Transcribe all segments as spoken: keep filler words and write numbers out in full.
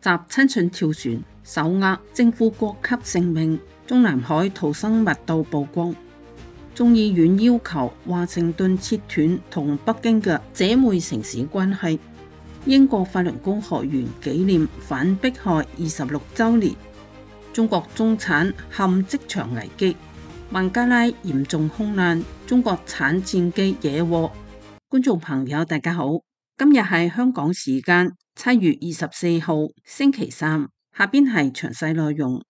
襲親信跳船，手握政府國級性命。中南海逃生密度曝光。眾議院要求華盛頓切斷同北京嘅姐妹城市關係。英國法輪功學員紀念反迫害二十六週年。中國中產陷職場危機。孟加拉嚴重空難，中國產戰機惹禍。觀眾朋友大家好，今日係香港時間七月二十四號星期三，下邊係詳細內容。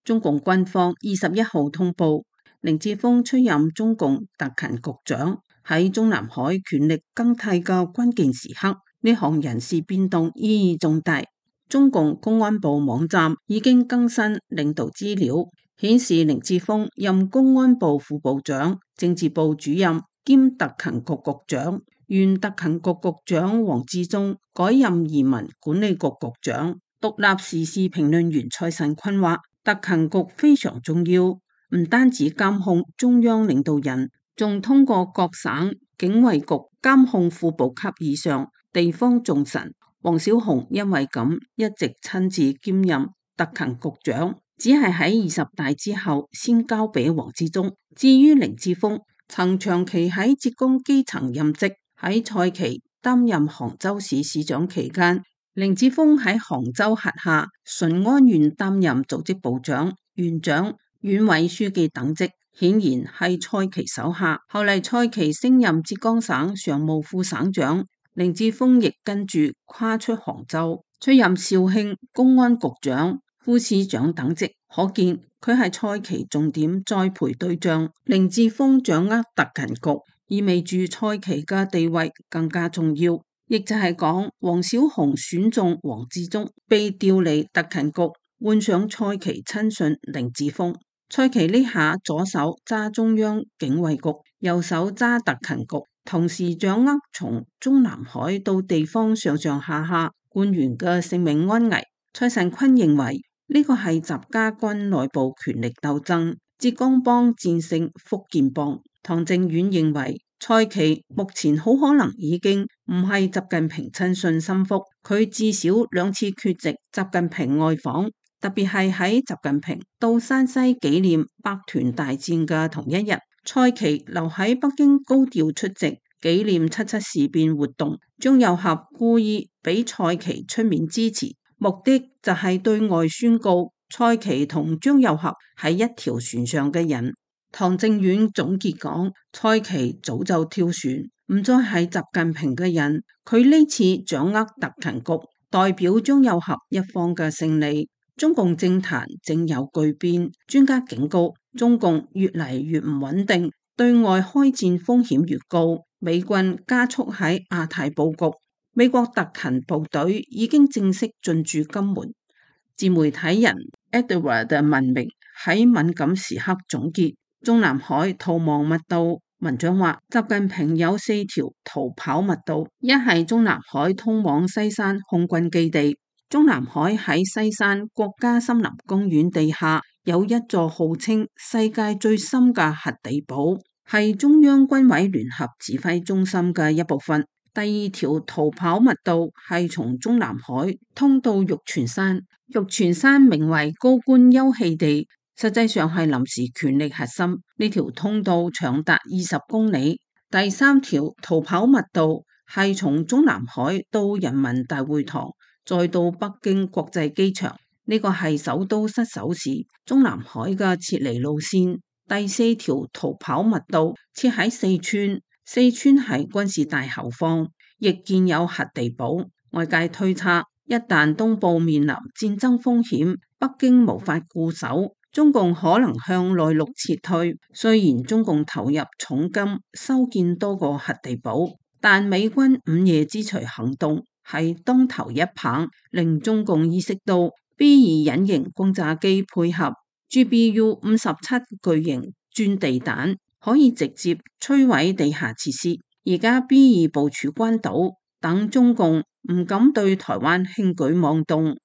中共軍方二十一號通報，凌志峰出任中共特勤局長。喺中南海權力更替嘅關鍵時刻，呢項人事變動意義重大。中共公安部網站已經更新領導資料，顯示凌志峰任公安部副部長、政治部主任兼特勤局局長，原特勤局局長王志忠改任移民管理局局長。獨立時事評論員蔡慎坤話，特勤局非常重要，唔單止監控中央領導人，仲通過各省警衛局監控副部級以上地方重臣。王小洪因為咁一直親自兼任特勤局長，只係喺二十大之後先交俾王志忠。至於凌志峰，曾長期喺浙江基層任職，喺蔡奇擔任杭州市市長期間，凌志峰喺杭州轄下順安縣擔任組織部長、縣長、縣委書記等職，顯然係蔡奇手下。後嚟蔡奇升任浙江省常務副省長，凌志峰亦跟住跨出杭州，出任肇慶公安局長、副市長等職，可見佢係蔡奇重點栽培對象。凌志峰掌握特勤局，意味住蔡奇嘅地位更加重要。亦就係講，王小洪選中王志忠，被調離特勤局，換上蔡奇親信凌志峰。蔡奇呢下左手揸中央警衛局，右手揸特勤局，同時掌握從中南海到地方上上下下官員嘅性命安危。蔡慎坤認為呢個係習家軍內部權力鬥爭，浙江幫戰勝福建幫。唐正遠認為蔡奇目前好可能已經唔係習近平親信心腹，佢至少兩次缺席習近平外訪，特別係喺習近平到山西紀念百團大戰嘅同一日，蔡奇留喺北京高調出席紀念七七事變活動。張又俠故意俾蔡奇出面支持，目的就係對外宣告蔡奇同張又俠係一條船上嘅人。唐正遠總結講，蔡奇早就跳船，唔再係習近平嘅人。佢呢次掌握特勤局，代表張又俠一方嘅勝利。中共政壇正有巨變，專家警告中共越嚟越唔穩定，對外開戰風險越高。美軍加速喺亞太佈局，美國特勤部隊已經正式進駐金門。自媒體人 Edward 嘅文明喺敏感時刻總結中南海逃亡密度。文章話，習近平有四條逃跑密道，一係中南海通往西山空軍基地。中南海喺西山國家森林公園地下有一座號稱世界最深嘅核地堡，係中央軍委聯合指揮中心嘅一部分。第二條逃跑密道係從中南海通到玉泉山，玉泉山名為高官休憩地，實際上係臨時權力核心。呢條通道長達二十公里。第三條逃跑密道係從中南海到人民大會堂，再到北京國際機場。呢個係首都失守時中南海嘅撤離路線。第四條逃跑密道設喺四川，四川係軍事大後方，亦建有核地堡。外界推測，一旦東部面臨戰爭風險，北京無法固守，中共可能向內陸撤退。雖然中共投入重金修建多個核地堡，但美軍午夜之錘行動係當頭一棒，令中共意識到 B 二隱形轟炸機配合 G B U 五十七巨型鑽地彈，可以直接摧毀地下設施。而家 B 二部署關島，等中共唔敢對台灣輕舉妄動。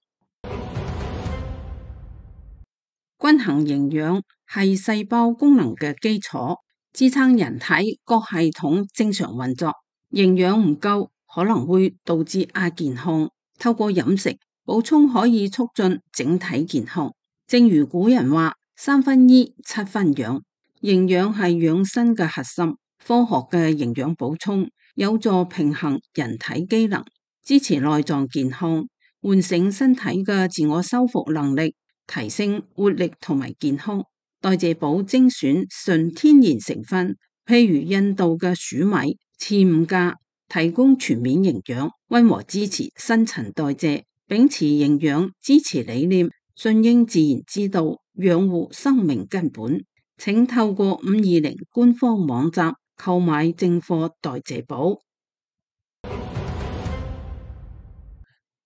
均衡營養係細胞功能嘅基礎，支撐人體各系統正常運作。營養唔夠，可能會導致亞健康。透過飲食補充可以促進整體健康。正如古人話：三分醫，七分養。營養係養生嘅核心。科學嘅營養補充有助平衡人體機能，支持內臟健康，喚醒身體嘅自我修復能力，提升活力同埋健康。代謝補精選純天然成分，譬如印度嘅黍米、刺五加，提供全面營養，溫和支持新陳代謝，秉持營養支持理念，順應自然之道，養護生命根本。請透過五二零官方網站購買正貨代謝補。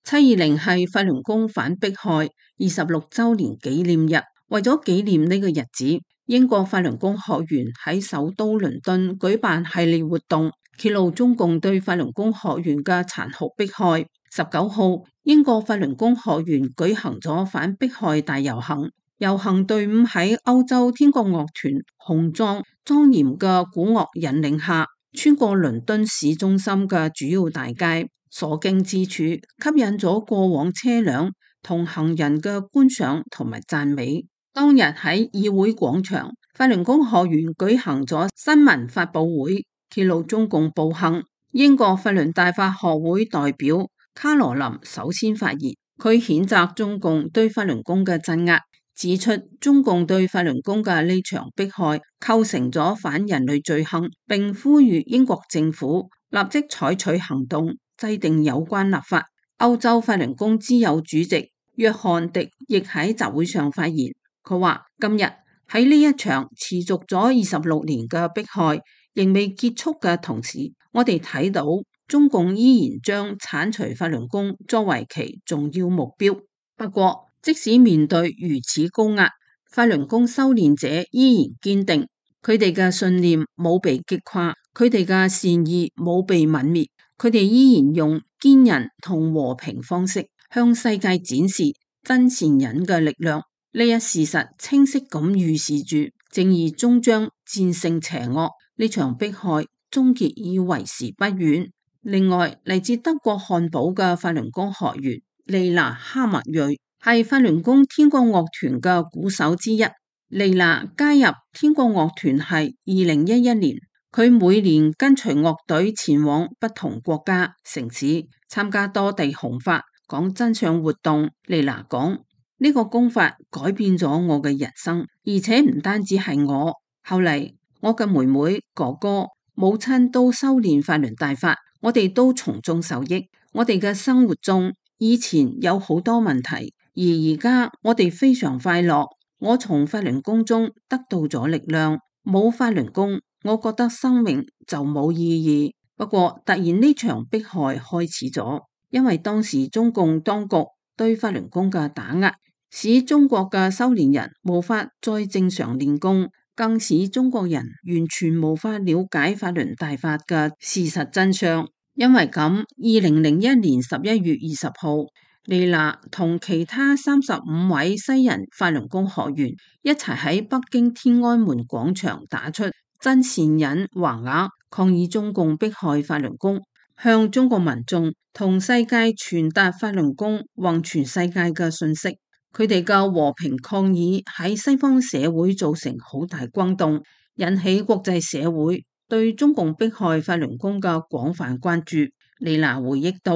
七二零係法輪功反迫害二十六周年紀念日，為咗紀念呢個日子，英國法輪功學員喺首都倫敦舉辦系列活動，揭露中共對法輪功學員嘅殘酷迫害。十九號，英國法輪功學員舉行咗反迫害大遊行。遊行隊伍喺歐洲天國樂團雄壯莊嚴嘅鼓樂引領下，穿過倫敦市中心嘅主要大街，所經之處吸引咗過往車輛同行人嘅觀賞同埋讚美。當日喺議會廣場，法輪功學員舉行咗新聞發佈會，揭露中共暴行。英國法輪大法學會代表卡羅琳首先發言，佢譴責中共對法輪功嘅鎮壓，指出中共對法輪功嘅呢場迫害構成咗反人類罪行，並呼籲英國政府立即採取行動，制定有關立法。歐洲法輪功之友主席約翰迪亦喺集會上發言，佢話今日喺呢一場持續咗二十六年嘅迫害仍未結束嘅同時，我哋睇到中共依然將剷除法輪功作為其重要目標。不過，即使面對如此高壓，法輪功修煉者依然堅定，佢哋嘅信念冇被擊垮，佢哋嘅善意冇被泯滅，佢哋依然用堅韌同和，和平方式向世界展示真善忍嘅力量。呢一事實清晰咁預示住正義終將戰勝邪惡，呢場迫害終結已為時不遠。另外，嚟自德國漢堡嘅法輪功學員莉娜哈默瑞係法輪功天國樂團嘅鼓手之一。莉娜加入天國樂團係二零一一年，佢每年跟隨樂隊前往不同國家城市參加多地弘法講真相活動。莉娜講，呢個功法改變咗我嘅人生，而且唔單止係我，後嚟我嘅妹妹、哥哥、母親都修煉法輪大法，我哋都從中受益。我哋嘅生活中以前有好多問題，而而家我哋非常快樂。我從法輪功中得到咗力量，冇法輪功，我覺得生命就冇意義。不過突然呢場迫害開始咗，因為當時中共當局對法輪功嘅打壓，使中國嘅修煉人無法再正常練功，更使中國人完全無法了解法輪大法嘅事實真相。因為咁，二零零一年十一月二十號，莉娜同其他三十五位西人法輪功學員一齊喺北京天安門廣場打出真善忍橫額，抗議中共迫害法輪功，向中國民眾同世界傳達法輪功宏全世界嘅信息。佢哋嘅和平抗議喺西方社會造成好大轟動，引起國際社會對中共迫害法輪功嘅廣泛關注。莉娜回憶到，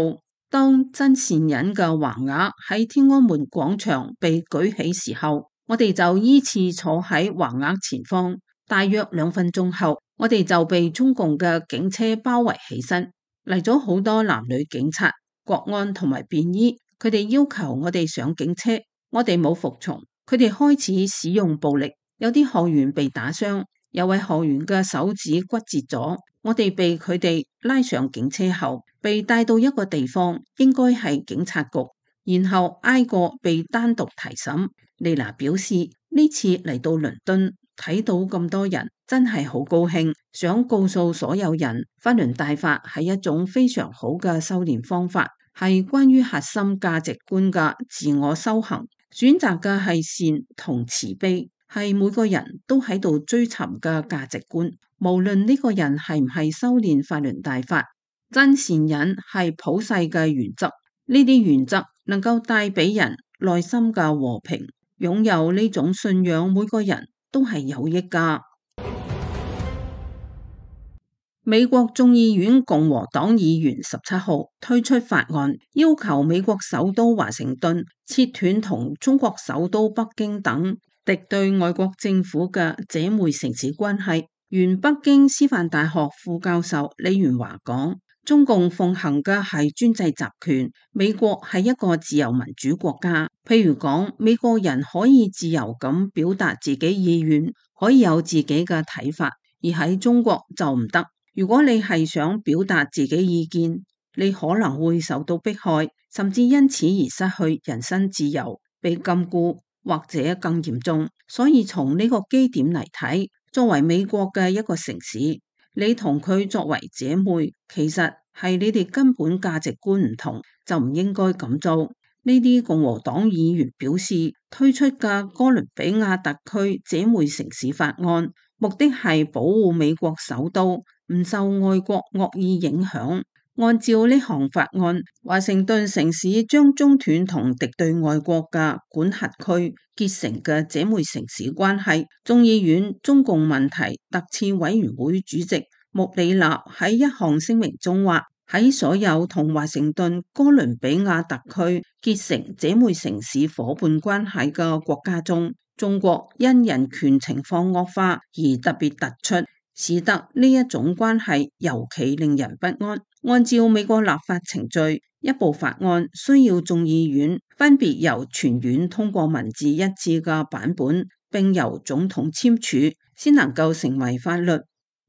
當真善忍嘅橫額喺天安門廣場被舉起時候，我哋就依次坐喺橫額前方。大約兩分鐘後，我哋就被中共嘅警車包圍起身，嚟咗好多男女警察、國安同埋便衣，佢哋要求我哋上警車，我哋冇服從，佢哋開始使用暴力，有啲學員被打傷，有位學員嘅手指骨折咗。我哋被佢哋拉上警車後，被帶到一個地方，應該係警察局，然後挨個被單獨提審。莉娜表示，呢次嚟到倫敦睇到咁多人，真係好高興，想告訴所有人，法輪大法係一種非常好嘅修煉方法，係關於核心價值觀嘅自我修行，選擇嘅係善同慈悲，係每個人都喺度追尋嘅價值觀，無論呢個人係唔係修煉法輪大法。真善忍係普世嘅原則，呢啲原則能夠帶俾人內心嘅和平。擁有呢種信仰，每個人都係有益㗎。美國眾議院共和黨議員十七號推出法案，要求美國首都華盛頓切斷同中國首都北京等敵對外國政府嘅姐妹城市關係。原北京師範大學副教授李元華講：中共奉行嘅係專制集權，美國係一個自由民主國家。譬如講，美國人可以自由咁表達自己意願，可以有自己嘅睇法，而喺中國就唔得。如果你係想表達自己意見，你可能會受到迫害，甚至因此而失去人身自由，被禁錮或者更嚴重。所以從呢個基點嚟睇，作為美國嘅一個城市，你同佢作為姐妹，其實係你哋根本價值觀唔同，就唔應該咁做。呢啲共和黨議員表示，推出嘅哥倫比亞特區姐妹城市法案，目的係保護美國首都唔受外國惡意影響。按照呢項法案，華盛頓城市將中斷同敵對外國嘅管轄區結成嘅姐妹城市關係。眾議院中共問題特設委員會主席穆里納喺一項聲明中話：喺所有同華盛頓哥倫比亞特區結成姐妹城市夥伴關係嘅國家中，中國因人權情況惡化而特別突出，使得呢一種關係尤其令人不安。按照美國立法程序，一部法案需要眾議院分別由全院通過文字一致嘅版本，並由總統簽署，先能夠成為法律。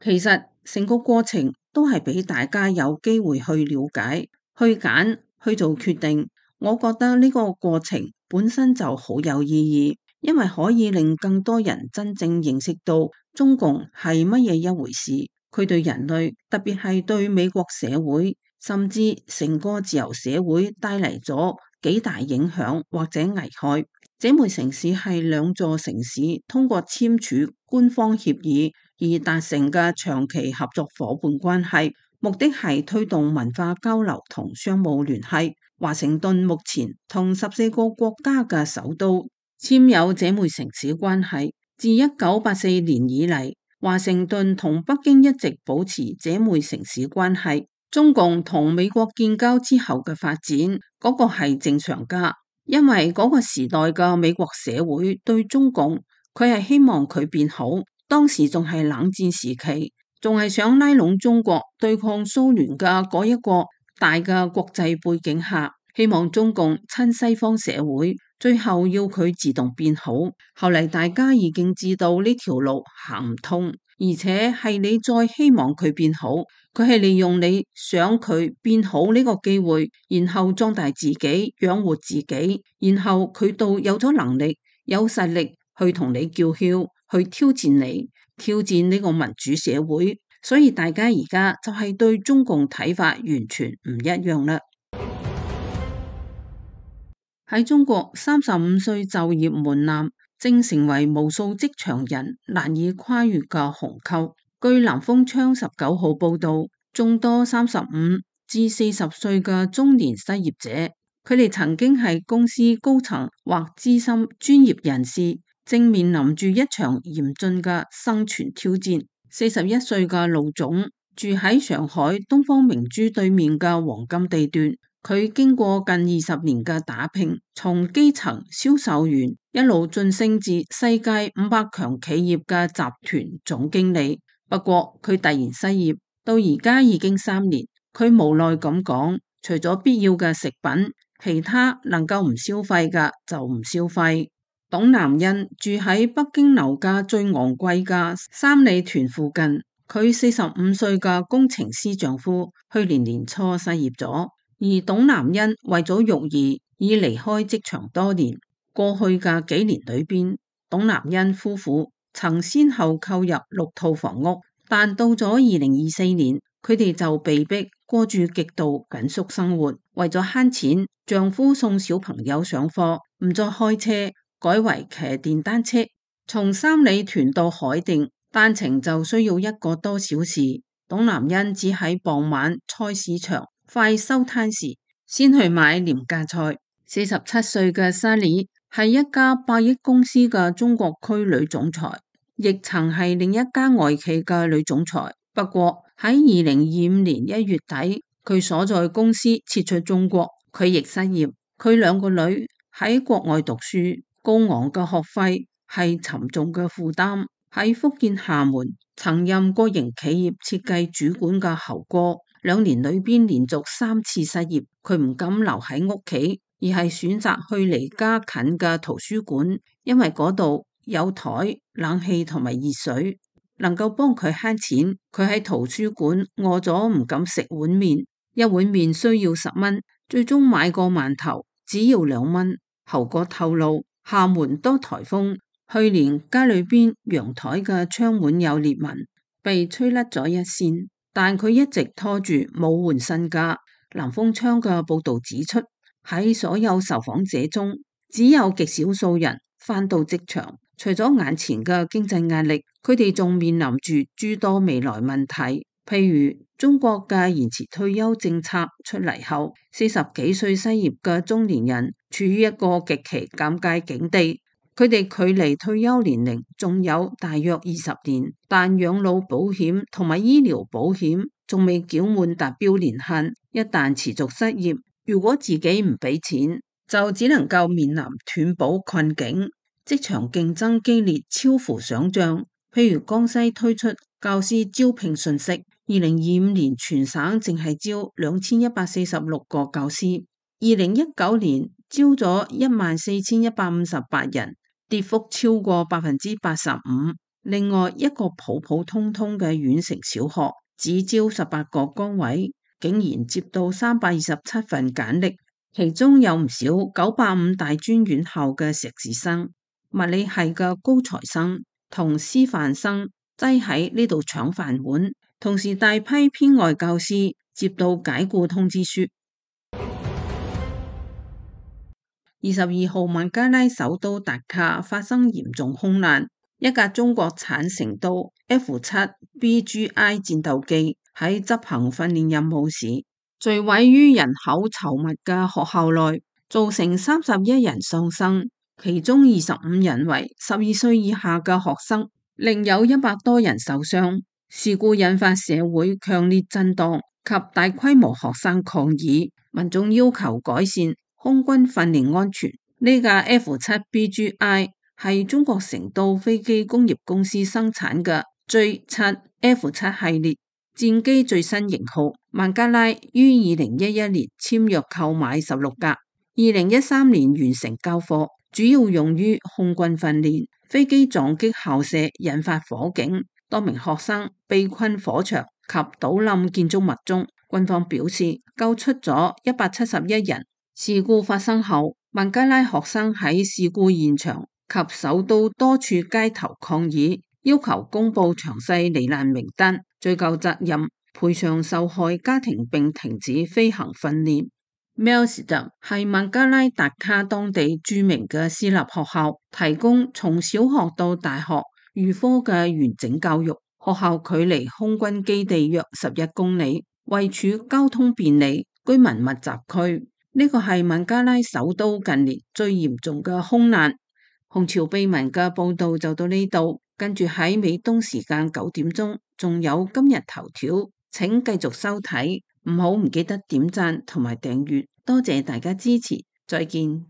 其實成個過程都係俾大家有機會去了解、去揀、去做決定。我覺得呢個過程本身就好有意義，因為可以令更多人真正認識到中共係乜嘢一回事。佢對人類，特別係對美國社會，甚至成個自由社會帶嚟咗幾大影響或者危害。姐妹城市係兩座城市通過簽署官方協議而達成嘅長期合作夥伴關係，目的係推動文化交流同商務聯繫。華盛頓目前同十四個國家嘅首都簽有姐妹城市關係。自一九八四年以嚟，華盛頓同北京一直保持姐妹城市關係。中共同美國建交之後嘅發展，嗰個係正常噶，因為嗰個時代嘅美國社會對中共，佢係希望佢變好。當時仲係冷戰時期，仲係想拉攏中國對抗蘇聯嘅嗰一個大嘅國際背景下，希望中共親西方社會，最後要佢自動變好。後嚟大家已經知道呢條路行唔通，而且係你再希望佢變好，佢係利用你想佢變好呢個機會，然後壯大自己，養活自己，然後佢到有咗能力、有實力去同你叫囂，去挑戰你，挑戰呢個民主社會。所以大家而家就係對中共睇法完全唔一樣啦。喺中國，三十五歲就業門檻正成為無數職場人難以跨越嘅鴻溝。據南風窗十九號報道，眾多三十五至四十歲嘅中年失業者，佢哋曾經係公司高層或資深專業人士，正面臨住一場嚴峻嘅生存挑戰。四十一歲嘅盧總住喺上海東方明珠對面嘅黃金地段。佢經過近二十年嘅打拼，從基層銷售員一路晉升至世界五百強企業嘅集團總經理。不過佢突然失業，到而家已經三年。佢無奈咁講，除咗必要嘅食品，其他能夠唔消費嘅就唔消費。董南欣住喺北京樓價最昂貴嘅三里屯附近。佢四十五歲嘅工程師丈夫去年年初失業咗。而董南欣為咗育兒已離開職場多年。過去嘅幾年裏邊，董南欣夫婦曾先後購入六套房屋，但到咗二零二四年，佢哋就被迫過住極度緊縮生活。為咗慳錢，丈夫送小朋友上課，唔再開車，改為騎電單車，從三里屯到海淀單程就需要一個多小時。董南恩只喺傍晚菜市場快收攤時先去買廉價菜。四十七歲嘅沙里係一家百億公司嘅中國區女總裁，亦曾係另一家外企嘅女總裁。不過喺二零二五年一月底，佢所在公司撤出中國，佢亦失業。佢兩個女喺國外讀書，高昂嘅學費係沉重嘅負擔。喺福建廈門曾任國營企業設計主管嘅侯哥，兩年裏邊連續三次失業，佢唔敢留喺屋企，而係選擇去離家近嘅圖書館，因為嗰度有台、冷氣同埋熱水，能夠幫佢慳錢。佢喺圖書館餓咗唔敢食碗麵，一碗麵需要十蚊，最終買個饅頭只要兩蚊。侯哥透露，廈門多颱風，去年家裏邊陽台嘅窗門有裂紋，被吹甩咗一扇，但佢一直拖住冇換新家。南風窗嘅報道指出，喺所有受訪者中，只有極少數人返到職場。除咗眼前嘅經濟壓力，佢哋仲面臨住諸多未來問題，譬如中國嘅延遲退休政策出嚟後，四十幾歲失業嘅中年人處於一個極其尷尬境地。佢哋距離退休年齡仲有大約二十年，但養老保險同埋醫療保險仲未繳滿達標年限。一旦持續失業，如果自己唔俾錢，就只能夠面臨斷保困境。職場競爭激烈，超乎想象。譬如江西推出教師招聘信息，二零二五年全省淨係招兩千一百四十六個教師，二零一九年招咗一萬四千一百五十八人，跌幅超過百分之八十五。另外一個普普通通嘅縣城小學，只招十八個崗位，竟然接到三百二十七份簡歷，其中有唔少九八五大專院校嘅碩士生、物理系嘅高材生同師範生擠喺呢度搶飯碗，同時大批編外教師接到解僱通知書。二十二號，孟加拉首都達卡發生嚴重空難，一架中國產成都 F 七 B G I 戰鬥機喺執行訓練任務時，墜毀於人口稠密嘅學校內，造成三十一人喪生。其中二十五人為十二歲以下嘅學生，另有一百多人受傷。事故引發社會強烈震盪及大規模學生抗議，民眾要求改善空軍訓練安全。呢架 F 七 B G I 係中國成都飛機工業公司生產嘅 J 七 F 七 系列戰機最新型號。孟加拉於二零一一年簽約購買十六架，二零一三年完成交貨。主要用於空軍訓練，飛機撞擊校舍引發火警，多名學生被困火場及倒冧建築物中。軍方表示救出咗一百七十一人。事故發生後，孟加拉學生喺事故現場及首都多處街頭抗議，要求公布詳細罹難名單、追究責任、賠償受害家庭並停止飛行訓練。Melsida 係孟加拉達卡當地著名嘅私立學校，提供從小學到大學預科嘅完整教育。學校距離空軍基地約十一公里，位處交通便利、居民密集區。呢個係孟加拉首都近年最嚴重嘅空難。紅潮秘聞嘅報道就到呢度，跟住喺美東時間九點鐘，仲有今日頭條，請繼續收睇。唔好唔記得點讚同埋訂閱，多謝大家支持，再見。